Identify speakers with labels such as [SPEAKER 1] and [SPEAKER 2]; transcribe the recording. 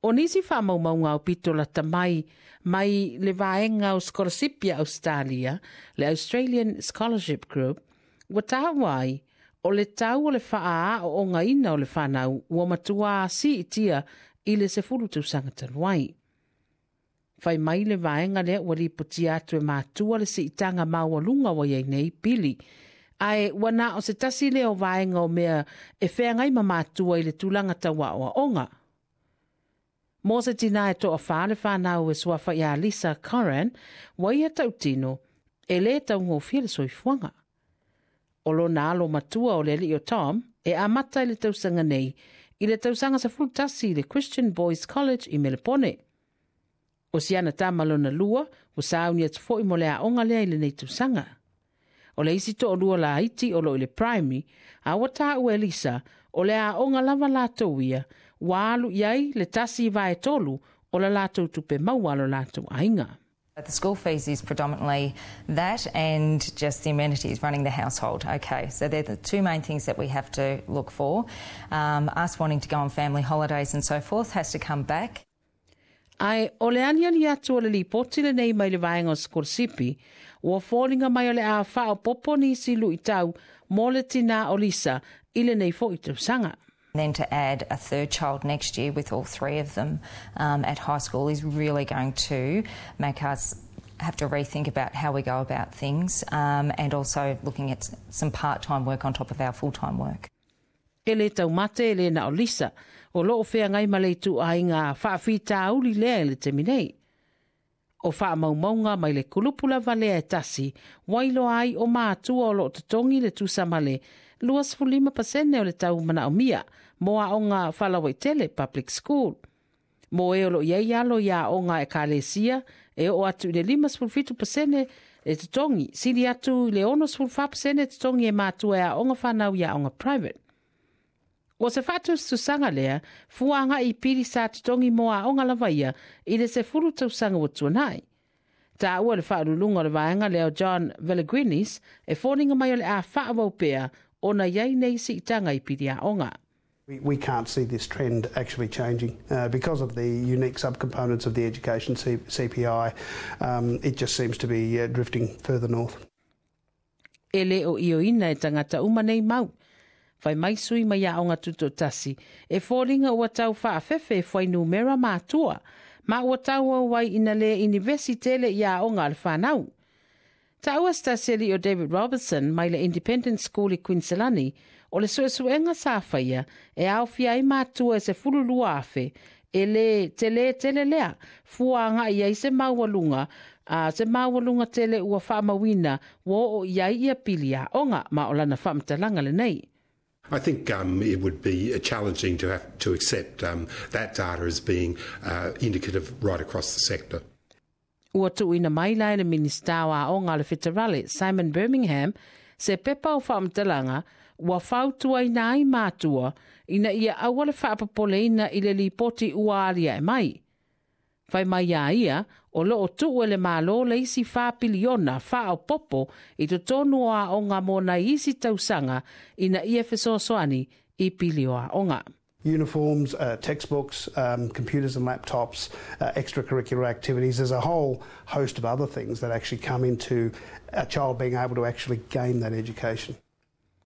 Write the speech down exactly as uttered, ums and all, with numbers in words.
[SPEAKER 1] O nisi faamaumauga aupito lata mai mai le vaega o sikolasipi a Ausetalia, le Australian Scholarship Group, ua taua ai o le tau o le faaaoogaina o le fanau ua matuā siitia i le sefulu tausaga talu ai. Fai mai le vaega lea ua lipotia atu e matua le siitaga maualuga ua i ai nei pili, ae ua na o se tasi lea o vaega o mea e feagai ma matua i le tulaga tau aoaoga. Mo se tinā e toawhā le whanau e suafa ia Lisa Curran, ua ia tautino e lē taugofie le soifuaga. O lona alo matua o le alii o Tom e amata i le tausaga nei i le tausaga sefulu tasi i le Christian Boys College i Melepone. O si ana tama lona lua ua sauni atu foi mo le aoga lea i lenei tausaga. O le isi toalua laiti o lo o i le primary, a ua taua e Lisa o le aoga lava latou ia ua alu i ai le tasi vae tolu o la latou tupe maua a lo latou aiga.
[SPEAKER 2] The school fees is predominantly that and just the amenities running the household. Okay, so they're the two main things that we have to look for. Um, us wanting to go on family holidays and so forth has to come back.
[SPEAKER 1] Ae o le aliali atu o le lipoti lenei mai le vaega o sikolasipi, ua foliga mai o le a faaopoopo nisi luitau mo le tinā o Lisa i lenei foi tausaga.
[SPEAKER 2] Then to add a third child next year with all three of them um, at high school is really going to make us have to rethink about how we go about things um, and also looking at some part-time work on top of our full-time work.
[SPEAKER 1] E lē taumate e lē na o Lisa, o loo feagai ma le ituaiga faafitauli lea i le taimi nei. O faamaumauga mai le kulupu lava lea e tasi, ua iloa ai o matua o loo totogi le tusa ma le luasefulu lima pasene o le tau manaomia mo aoga faalauaitele public school. Mo e o loo i ai alo i aoga ekalesia e oo atu i le limasefulu fitu pasene le totogi, sili atu i le onosefulu fa pasene totogi e matua e aoga fanau i aoga private. O se faatusatusaga lea, fua agai i pili sa totogi mo aoga lava ia i le sefulu tausaga ua tuanai. Taua le faauluuluga o le vaega lea o John Velegrinis e foliga mai o le a faaauau pea ona i ai nei siitaga i pili aoga.
[SPEAKER 3] We, we can't see this trend actually changing uh, because of the unique subcomponents of the education C- CPI. Um, it just seems to be uh, drifting further north.
[SPEAKER 1] E lē o ioeina e tagata uma nei mau. Fai mai sui mai aoga tutoatasi, e foliga ua tau faafefe e fuainumera matua, ma ua tauau ai ina lē inivesi tele i aoga a le fanau. Taua se tasi alii o David Robertson mai le Independent School i Kuiniselani, o le suesuega sa faia e aofia ai matua e sefulu lua afe, e lē telē tele lea, fua agai ai se maualuga, a se maualuga tele ua faamauina ua oo i ai ia pili aoga ma o lana faamatalaga lenei.
[SPEAKER 4] I think um, it would be challenging to have to accept um, that data as being uh, indicative right across the sector.
[SPEAKER 1] Ua tuuina mai la e le Minisita o Aoga a le Feterale, Simon Birmingham, se pepa o faamatalaga ua fautuaina ai matua ina ia aua le faapopoleina i le lipoti ua aliae mai. Fai mai a ia, o loo tuu e le Malo le isi fa piliona faaopoopo i totonu o aoga mo nai isi tausaga ina ia fesoasoani i pili o aoga.
[SPEAKER 3] Uniforms, uh, textbooks, um, computers and laptops, uh, extracurricular activities. There's a whole host of other things that actually come into a child being able to actually gain that education.